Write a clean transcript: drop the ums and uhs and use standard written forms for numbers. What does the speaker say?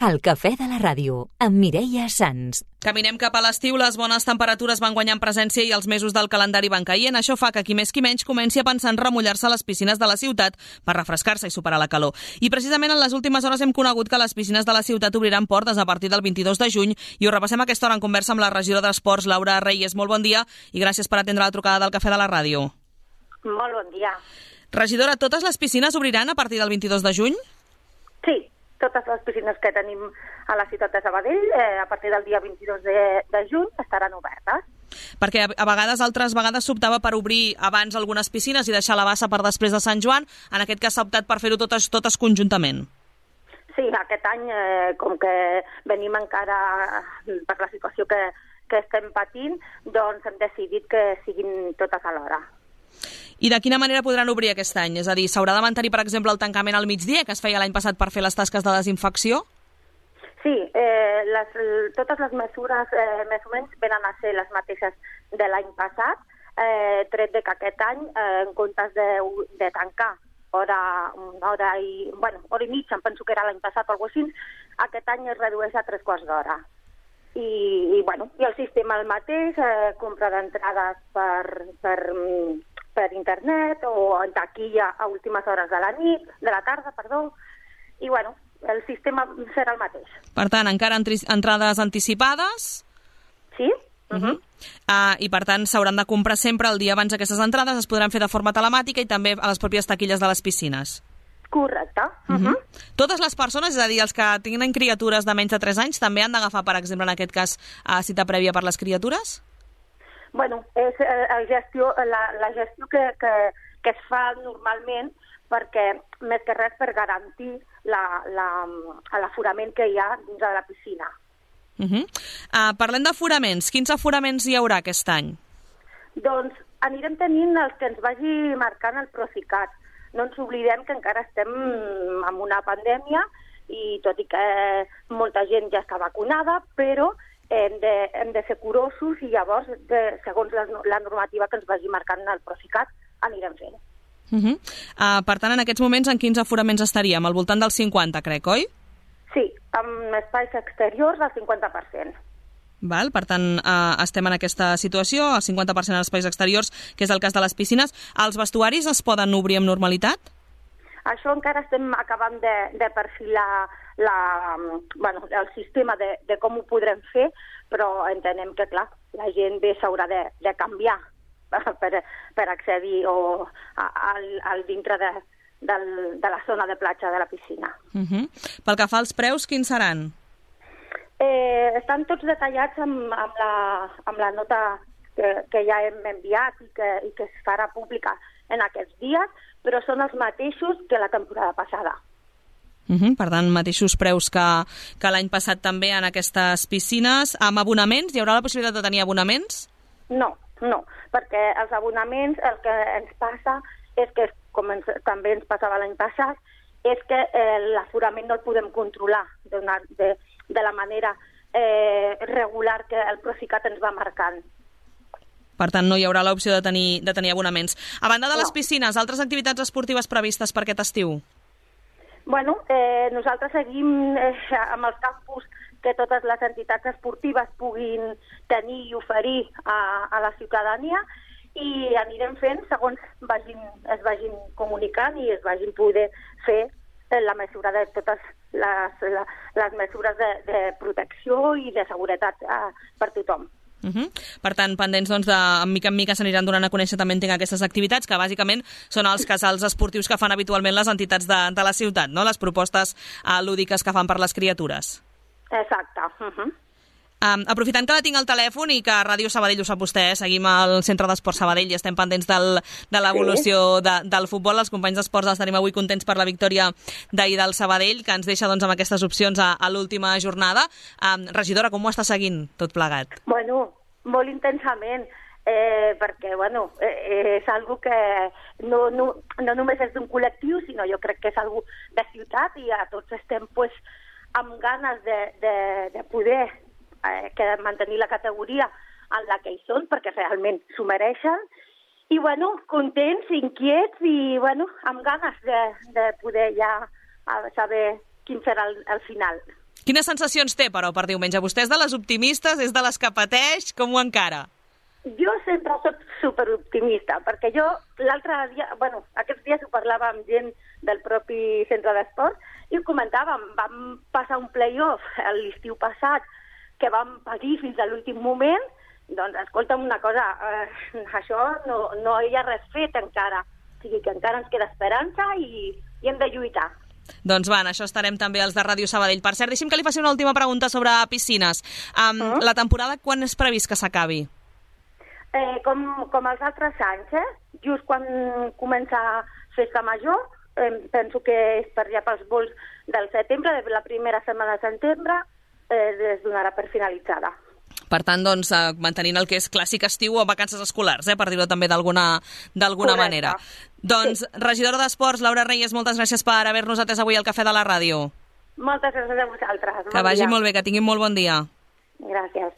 El cafè de la ràdio, amb Mireia Sans. Caminem cap a l'estiu, les bones temperatures van guanyant presència i els mesos del calendari van caient. Això fa que qui més qui menys comenci a pensar en remullar-se a les piscines de la ciutat per refrescar-se i superar la calor. I precisament en les últimes hores hem conegut que les piscines de la ciutat obriran portes a partir del 22 de juny i ho repassem a aquesta hora en conversa amb la regidora d'Esports, Laura Reyes. Molt bon dia i gràcies per atendre la trucada del cafè de la ràdio. Molt bon dia. Regidora, totes les piscines obriran a partir del 22 de juny? Sí, totes les piscines que tenim a la ciutat de Sabadell a partir del dia 22 de juny estaran obertes. Perquè a vegades, altres vegades s'optava per obrir abans algunes piscines i deixar la bassa per després de Sant Joan. En aquest cas s'ha optat per fer-ho totes conjuntament. Sí, aquest any, com que venim encara per la situació que estem patint, doncs hem decidit que siguin totes alhora. I de quina manera podran obrir aquest any? És a dir, s'haurà de mantenir, per exemple, el tancament al migdia, que es feia l'any passat per fer les tasques de desinfecció? Sí, totes les mesures més o menys venen a ser les mateixes de l'any passat, tret de que aquest any, en comptes de tancar hora i mitja, em penso que era l'any passat o alguna cosa així, aquest any es redueix a 3/4 d'hora. I el sistema el mateix, compra d'entrades per internet o en taquilla a últimes hores de la tarda, i el sistema serà el mateix. Per tant, encara entrades anticipades? Sí. I per tant s'hauran de comprar sempre el dia abans aquestes entrades, es podran fer de forma telemàtica i també a les pròpies taquilles de les piscines. Correcte. Totes les persones, és a dir, els que tinguin criatures de menys de 3 anys, també han d'agafar, per exemple, en aquest cas, cita prèvia per les criatures? Bueno, és la gestió que es fa normalment perquè, més que res, per garantir l'aforament que hi ha dins de la piscina. Parlem d'aforaments. Quins aforaments hi haurà aquest any? Doncs anirem tenint els que ens vagi marcant el Procicat. No ens oblidem que encara estem en una pandèmia i tot i que molta gent ja està vacunada, però hem de ser curosos i llavors, segons la normativa que ens vagi marcant el Procicat, anirem fent. Per tant, en aquests moments, en quins aforaments estaríem? Al voltant dels 50, crec, oi? Sí, amb espais exteriors al 50%. Val, per tant, estem en aquesta situació, al 50% en espais exteriors, que és el cas de les piscines. Els vestuaris es poden obrir amb normalitat? Això encara estem acabant de perfilar el sistema de com ho podrem fer, però entenem que, clar, la gent bé s'haurà de canviar per accedir al dintre de la zona de platja de la piscina. Pel que fa als preus, quins seran? Estan tots detallats amb la nota que ja hem enviat i que es farà pública en aquests dies, però són els mateixos que la temporada passada. Per tant, mateixos preus que l'any passat també en aquestes piscines. Amb abonaments? Hi haurà la possibilitat de tenir abonaments? No, perquè els abonaments el que ens passa és que, com també ens passava l'any passat, és que l'aforament no el podem controlar de la manera regular que el Procicat ens va marcant. Per tant, no hi haurà l'opció de tenir abonaments. A banda de les piscines, altres activitats esportives previstes per aquest estiu? Bueno, nosaltres seguim amb els campus que totes les entitats esportives puguin tenir i oferir a la ciutadania i anirem fent segons es vagin comunicant i es vagin poder fer la mesura de totes les mesures de protecció i de seguretat per tothom. Per tant, pendents de mica en mica s'aniran donant a conèixer també aquestes activitats que bàsicament són els casals esportius que fan habitualment les entitats de la ciutat, no? Les propostes lúdiques que fan per les criatures. Exacte. Aprofitant que la tinc al telèfon i que Ràdio Sabadell, ho sap vostè, seguim al Centre d'Esports Sabadell i estem pendents de l'evolució del futbol. Els companys d'esports els tenim avui contents per la victòria d'ahir del Sabadell, que ens deixa amb aquestes opcions a l'última jornada. Regidora, com ho està seguint tot plegat? Bueno, molt intensament, perquè és algo que no només és d'un col·lectiu, sinó jo crec que és algo de ciutat i a tots estem amb ganes de poder mantenir la categoria en la que hi són, perquè realment s'ho mereixen, i contents, inquiets i amb ganes de poder ja saber quin serà el final. Quines sensacions té, però, per diumenge? Vostè és de les optimistes, és de les que pateix, com ho encara? Jo sempre soc superoptimista, perquè jo l'altre dia, aquests dies ho parlava amb gent del propi centre d'esport i ho comentàvem, vam passar un play-off l'estiu passat que vam patir fins a l'últim moment, doncs escolta'm una cosa, això no hi ha res fet encara, o sigui que encara ens queda esperança i hem de lluitar. Doncs va, en això estarem també els de Ràdio Sabadell. Per cert, deixi'm que li faci una última pregunta sobre piscines. La temporada quan és previst que s'acabi? Com els altres anys, just quan comença Festa Major, penso que és per allà pels vols del setembre, de la primera setmana de setembre, es donarà per finalitzada. Per tant, doncs, mantenint el que és clàssic estiu o vacances escolars, per dir-ho també d'alguna manera. Doncs, regidora d'Esports, Laura Reyes, moltes gràcies per haver-nos atès avui al Cafè de la Ràdio. Moltes gràcies a vosaltres. Que vagi molt bé, que tinguin molt bon dia. Gràcies.